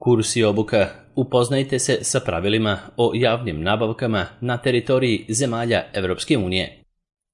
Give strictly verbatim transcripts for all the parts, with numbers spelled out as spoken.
Kurs i obuka. Upoznajte se sa pravilima o javnim nabavkama na teritoriji zemalja Evropske unije.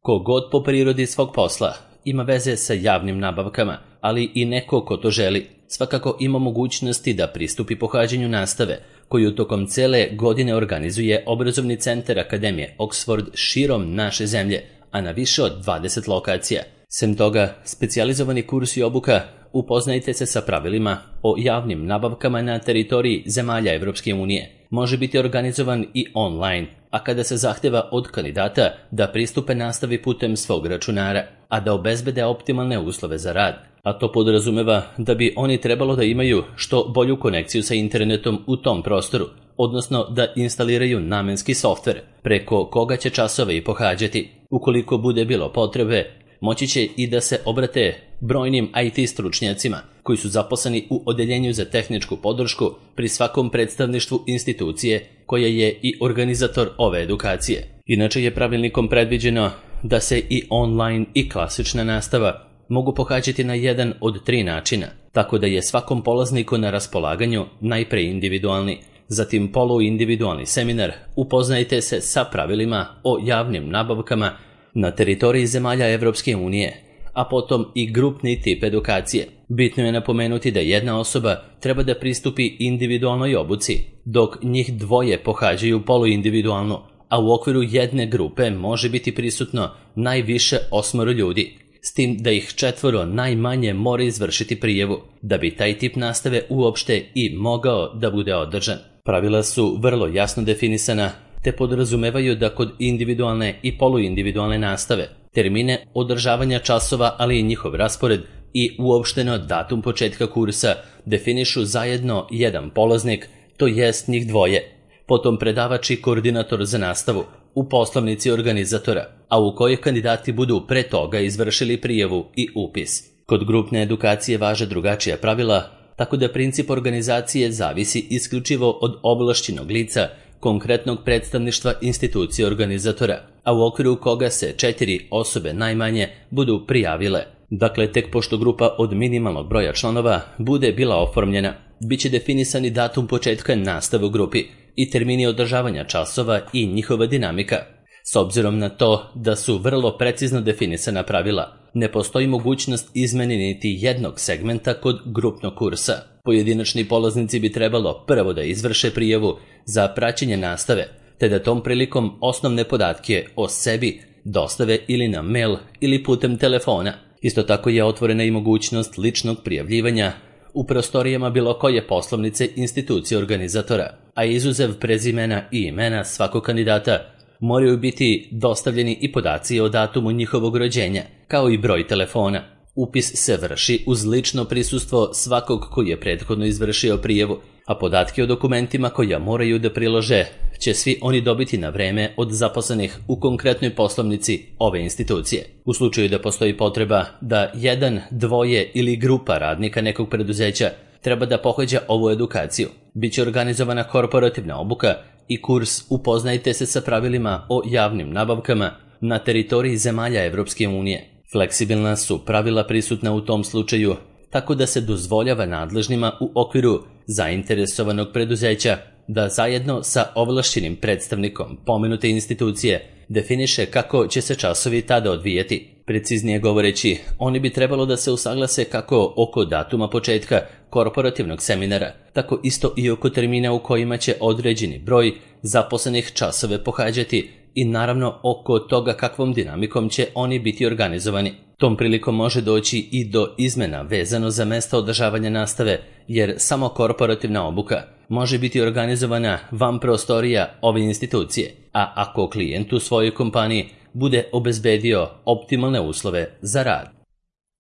Ko god po prirodi svog posla ima veze sa javnim nabavkama, ali i neko ko to želi, svakako ima mogućnosti da pristupi pohađanju nastave, koju tokom cele godine organizuje obrazovni centar Akademije Oxford širom naše zemlje, a na više od dvadeset lokacija. Sem toga, specijalizovani kurs i obuka Upoznajte se sa pravilima o javnim nabavkama na teritoriji zemalja Evropske unije. Može biti organizovan i online, a kada se zahteva od kandidata da pristupe nastavi putem svog računara, a da obezbede optimalne uslove za rad. A to podrazumeva da bi oni trebalo da imaju što bolju konekciju sa internetom u tom prostoru, odnosno da instaliraju namenski softver preko koga će časove i pohađati. Ukoliko bude bilo potrebe, moći će i da se obrate brojnim I T stručnjacima koji su zaposleni u odeljenju za tehničku podršku pri svakom predstavništvu institucije koja je i organizator ove edukacije. Inače je pravilnikom predviđeno da se i online i klasična nastava mogu pohađati na jedan od tri načina, tako da je svakom polazniku na raspolaganju najpre individualni, zatim poluindividualni seminar Upoznajte se sa pravilima o javnim nabavkama na teritoriji zemalja Evropske unije, a potom i grupni tip edukacije. Bitno je napomenuti da jedna osoba treba da pristupi individualnoj obuci, dok njih dvoje pohađaju poluindividualno, a u okviru jedne grupe može biti prisutno najviše osmoro ljudi, s tim da ih četvoro najmanje mora izvršiti prijavu, da bi taj tip nastave uopšte i mogao da bude održan. Pravila su vrlo jasno definisana, te podrazumevaju da kod individualne i poluindividualne nastave termine održavanja časova, ali i njihov raspored i uopšteno datum početka kursa definišu zajedno jedan polaznik, to jest njih dvoje, potom predavač i koordinator za nastavu u poslovnici organizatora, a u kojoj kandidati budu pre toga izvršili prijavu i upis. Kod grupne edukacije važe drugačija pravila, tako da princip organizacije zavisi isključivo od ovlašćenog lica konkretnog predstavništva institucije organizatora, a u okviru koga se četiri osobe najmanje budu prijavile. Dakle, tek pošto grupa od minimalnog broja članova bude bila oformljena, bit će definisani datum početka nastave u grupi i termini održavanja časova i njihova dinamika. S obzirom na to da su vrlo precizno definisana pravila, ne postoji mogućnost izmene niti jednog segmenta kod grupnog kursa. Pojedinačni polaznici bi trebalo prvo da izvrše prijavu za praćenje nastave, te da tom prilikom osnovne podatke o sebi dostave ili na mail ili putem telefona. Isto tako je otvorena i mogućnost ličnog prijavljivanja u prostorijama bilo koje poslovnice institucije organizatora, a izuzev prezimena i imena svakog kandidata moraju biti dostavljeni i podaci o datumu njihovog rođenja, kao i broj telefona. Upis se vrši uz lično prisustvo svakog koji je prethodno izvršio prijavu, a podatke o dokumentima koja moraju da prilože će svi oni dobiti na vreme od zaposlenih u konkretnoj poslovnici ove institucije. U slučaju da postoji potreba da jedan, dvoje ili grupa radnika nekog preduzeća treba da pohađa ovu edukaciju, bit će organizovana korporativna obuka i kurs Upoznajte se sa pravilima o javnim nabavkama na teritoriji zemalja Evropske unije. Fleksibilna su pravila prisutna u tom slučaju, tako da se dozvoljava nadležnima u okviru zainteresovanog preduzeća da zajedno sa ovlašćenim predstavnikom pomenute institucije definiše kako će se časovi tada odvijati. Preciznije govoreći, oni bi trebalo da se usaglase kako oko datuma početka korporativnog seminara, tako isto i oko termina u kojima će određeni broj zaposlenih časove pohađati i naravno oko toga kakvom dinamikom će oni biti organizovani. Tom prilikom može doći i do izmena vezano za mesta održavanja nastave, jer samo korporativna obuka može biti organizovana van prostorija ove institucije, a ako klijent u svojoj kompaniji bude obezbedio optimalne uslove za rad.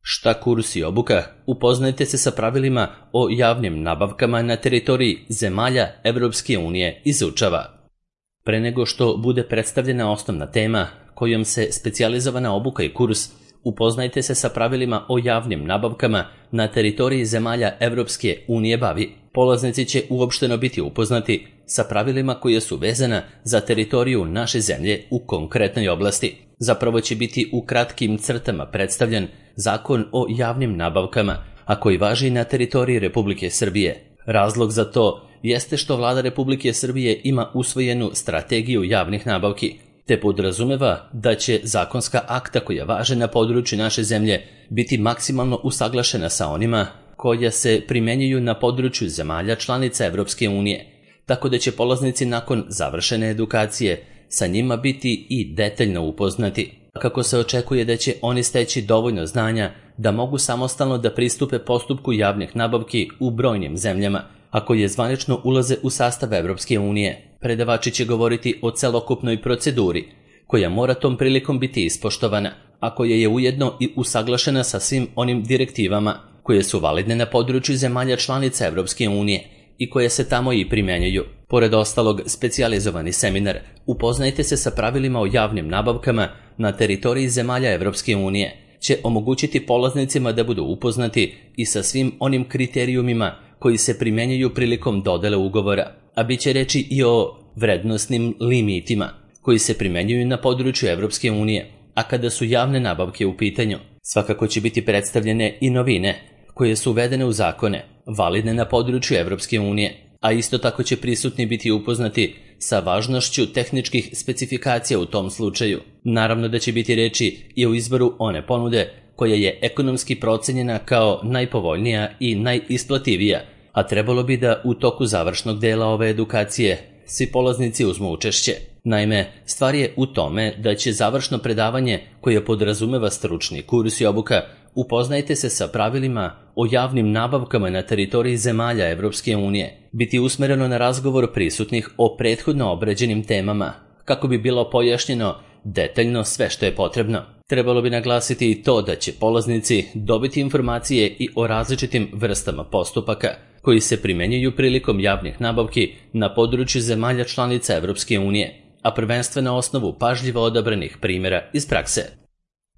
Šta kurs i obuka? Upoznajte se sa pravilima o javnim nabavkama na teritoriji zemalja Evropske unije izučava. Pre nego što bude predstavljena osnovna tema kojom se specijalizovana obuka i kurs Upoznajte se sa pravilima o javnim nabavkama na teritoriji zemalja Evropske unije bavi, polaznici će uopšteno biti upoznati sa pravilima koje su vezana za teritoriju naše zemlje u konkretnoj oblasti. Zapravo će biti u kratkim crtama predstavljen Zakon o javnim nabavkama, a koji važi na teritoriji Republike Srbije, Razlog za to jeste što Vlada Republike Srbije ima usvojenu strategiju javnih nabavki, te podrazumeva da će zakonska akta koja važe na području naše zemlje biti maksimalno usaglašena sa onima koja se primenjuju na području zemalja članica Evropske unije, tako da će polaznici nakon završene edukacije sa njima biti i detaljno upoznati, kako se očekuje da će oni steći dovoljno znanja da mogu samostalno da pristupe postupku javnih nabavki u brojnim zemljama, a koje zvanično ulaze u sastav Evropske unije. Predavači će govoriti o celokupnoj proceduri, koja mora tom prilikom biti ispoštovana, a koja je ujedno i usaglašena sa svim onim direktivama koje su validne na području zemalja članica Evropske unije i koje se tamo i primjenjuju. Pored ostalog, specijalizovani seminar Upoznajte se sa pravilima o javnim nabavkama na teritoriji zemalja Evropske unije će omogućiti polaznicima da budu upoznati i sa svim onim kriterijumima koji se primjenjuju prilikom dodele ugovora, a bit će reći i o vrednosnim limitima koji se primjenjuju na području Evropske unije, a kada su javne nabavke u pitanju, svakako će biti predstavljene i novine koje su uvedene u zakone, validne na području Evropske unije, a isto tako će prisutni biti upoznati sa važnošću tehničkih specifikacija u tom slučaju. Naravno da će biti reči i o izboru one ponude koja je ekonomski procenjena kao najpovoljnija i najisplativija, a trebalo bi da u toku završnog dela ove edukacije svi polaznici uzmu učešće. Naime, stvar je u tome da će završno predavanje koje podrazumeva stručni kurs i obuka Upoznajte se sa pravilima o javnim nabavkama na teritoriji zemalja Evropske unije biti usmereno na razgovor prisutnih o prethodno obrađenim temama, kako bi bilo pojašnjeno detaljno sve što je potrebno. Trebalo bi naglasiti i to da će polaznici dobiti informacije i o različitim vrstama postupaka koji se primenjuju prilikom javnih nabavki na području zemalja članica Evropske unije, a prvenstveno na osnovu pažljivo odabranih primjera iz prakse.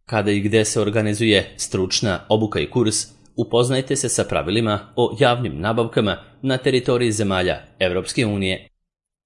Kada i gde se organizuje stručna obuka i kurs, upoznajte se sa pravilima o javnim nabavkama na teritoriji zemalja Evropske unije.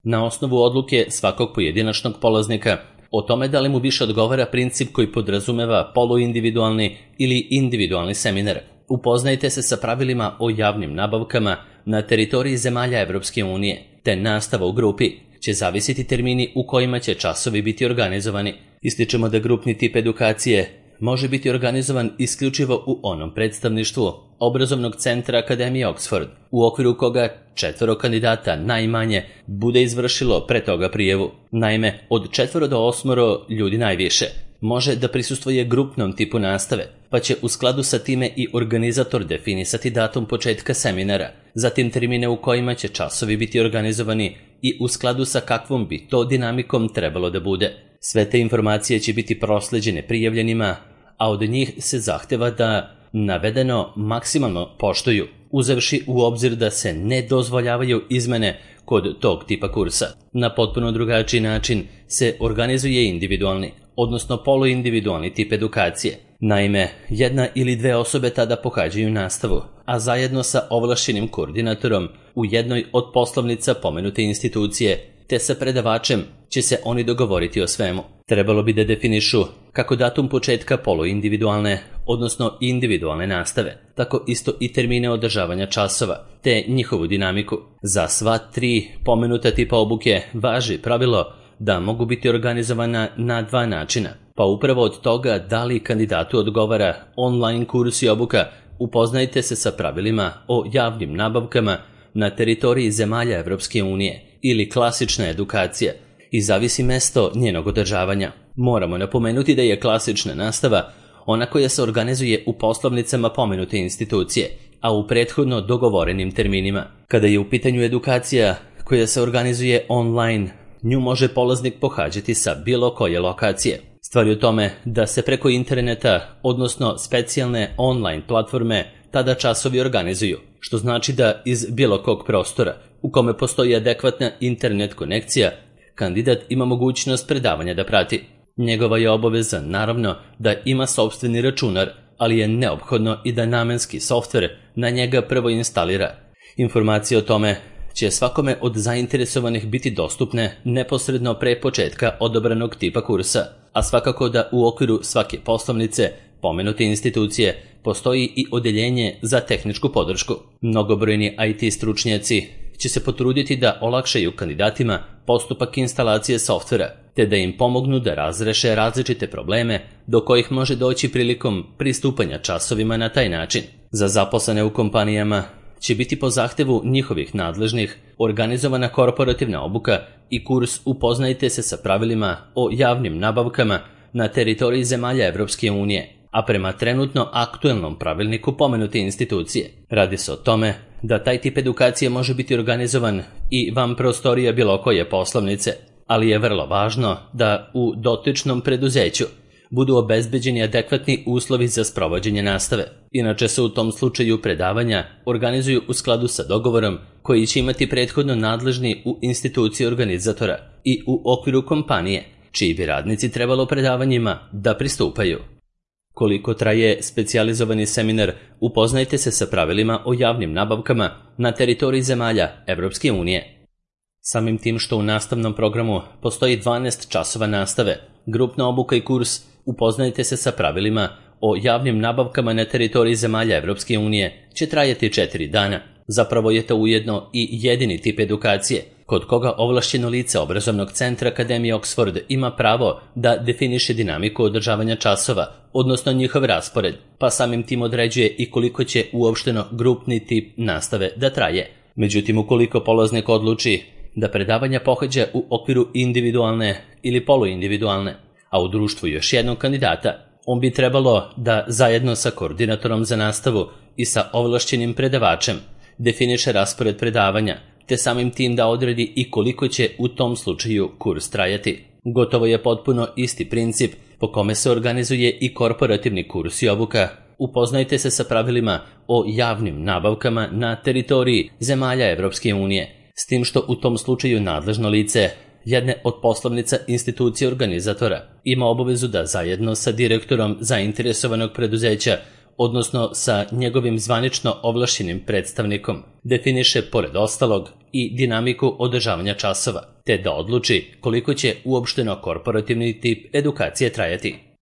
Na osnovu odluke svakog pojedinačnog polaznika o tome da li mu više odgovara princip koji podrazumeva poluindividualni ili individualni seminar, upoznajte se sa pravilima o javnim nabavkama na teritoriji zemalja Evropske unije, te nastava u grupi će zavisiti termini u kojima će časovi biti organizovani. Ističemo da grupni tip edukacije može biti organizovan isključivo u onom predstavništvu obrazovnog centra Akademije Oxford, u okviru koga četvoro kandidata najmanje bude izvršilo pre toga prijavu. Naime, od četvoro do osmoro ljudi najviše može da prisustvuje grupnom tipu nastave, pa će u skladu sa time i organizator definisati datum početka seminara, zatim termine u kojima će časovi biti organizovani i u skladu sa kakvom bi to dinamikom trebalo da bude. Sve te informacije će biti prosleđene prijavljenima, a od njih se zahteva da navedeno maksimalno poštuju, uzevši u obzir da se ne dozvoljavaju izmene kod tog tipa kursa. Na potpuno drugačiji način se organizuje individualni, odnosno poluindividualni tip edukacije. Naime, jedna ili dve osobe tada pohađaju nastavu, a zajedno sa ovlašćenim koordinatorom u jednoj od poslovnica pomenute institucije, te sa predavačem će se oni dogovoriti o svemu. Trebalo bi da definišu kako datum početka poluindividualne, odnosno individualne nastave, tako isto i termine održavanja časova, te njihovu dinamiku. Za sva tri pomenuta tipa obuke važi pravilo da mogu biti organizovana na dva načina, pa upravo od toga da li kandidatu odgovara online kurs i obuka Upoznajte se sa pravilima o javnim nabavkama na teritoriji zemalja Evropske unije ili klasična edukacija i zavisi mesto njenog održavanja. Moramo napomenuti da je klasična nastava ona koja se organizuje u poslovnicama pomenute institucije, a u prethodno dogovorenim terminima. Kada je u pitanju edukacija koja se organizuje online, nju može polaznik pohađati sa bilo koje lokacije. Stvar je u tome da se preko interneta, odnosno specijalne online platforme, tada časovi organizuju, što znači da iz bilo kog prostora u kome postoji adekvatna internet konekcija, kandidat ima mogućnost predavanja da prati. Njegova je obaveza, naravno, da ima sopstveni računar, ali je neophodno i da namenski softver na njega prvo instalira. Informacije o tome će svakome od zainteresovanih biti dostupne neposredno pre početka odabranog tipa kursa, a svakako da u okviru svake poslovnice pomenute institucije postoji i odeljenje za tehničku podršku. Mnogobrojni I T stručnjaci će se potruditi da olakšaju kandidatima postupak instalacije softvera, te da im pomognu da razreše različite probleme do kojih može doći prilikom pristupanja časovima na taj način. Za zaposlene u kompanijama će biti po zahtevu njihovih nadležnih organizovana korporativna obuka i kurs Upoznajte se sa pravilima o javnim nabavkama na teritoriji zemalja Evropske unije, a prema trenutno aktuelnom pravilniku pomenute institucije. Radi se o tome da taj tip edukacije može biti organizovan i van prostorija bilo koje poslovnice, ali je vrlo važno da u dotičnom preduzeću budu obezbeđeni adekvatni uslovi za sprovođenje nastave. Inače se u tom slučaju predavanja organizuju u skladu sa dogovorom koji će imati prethodno nadležni u instituciji organizatora i u okviru kompanije, čiji bi radnici trebalo predavanjima da pristupaju. Koliko traje specijalizovani seminar Upoznajte se sa pravilima o javnim nabavkama na teritoriji zemalja Evropske unije? Samim tim što u nastavnom programu postoji dvanaest časova nastave, grupna obuka i kurs Upoznajte se sa pravilima o javnim nabavkama na teritoriji zemalja Evropske unije će trajati četiri dana. Zapravo je to ujedno i jedini tip edukacije kod koga ovlašćeno lice obrazovnog centra Akademije Oxford ima pravo da definiše dinamiku održavanja časova, odnosno njihov raspored, pa samim tim određuje i koliko će uopšteno grupni tip nastave da traje. Međutim, ukoliko polaznik odluči da predavanja pohađa u okviru individualne ili poluindividualne, a u društvu još jednog kandidata, on bi trebalo da zajedno sa koordinatorom za nastavu i sa ovlašćenim predavačem definiše raspored predavanja, te samim tim da odredi i koliko će u tom slučaju kurs trajati. Gotovo je potpuno isti princip po kome se organizuje i korporativni kurs i obuka. Upoznajte se sa pravilima o javnim nabavkama na teritoriji zemalja Evropske unije, s tim što u tom slučaju nadležno lice jedne od poslovnica institucije organizatora ima obavezu da zajedno sa direktorom zainteresovanog preduzeća, odnosno sa njegovim zvanično ovlašćenim predstavnikom, definiše pored ostalog i dinamiku održavanja časova, te da odluči koliko će uopšteno korporativni tip edukacije trajati.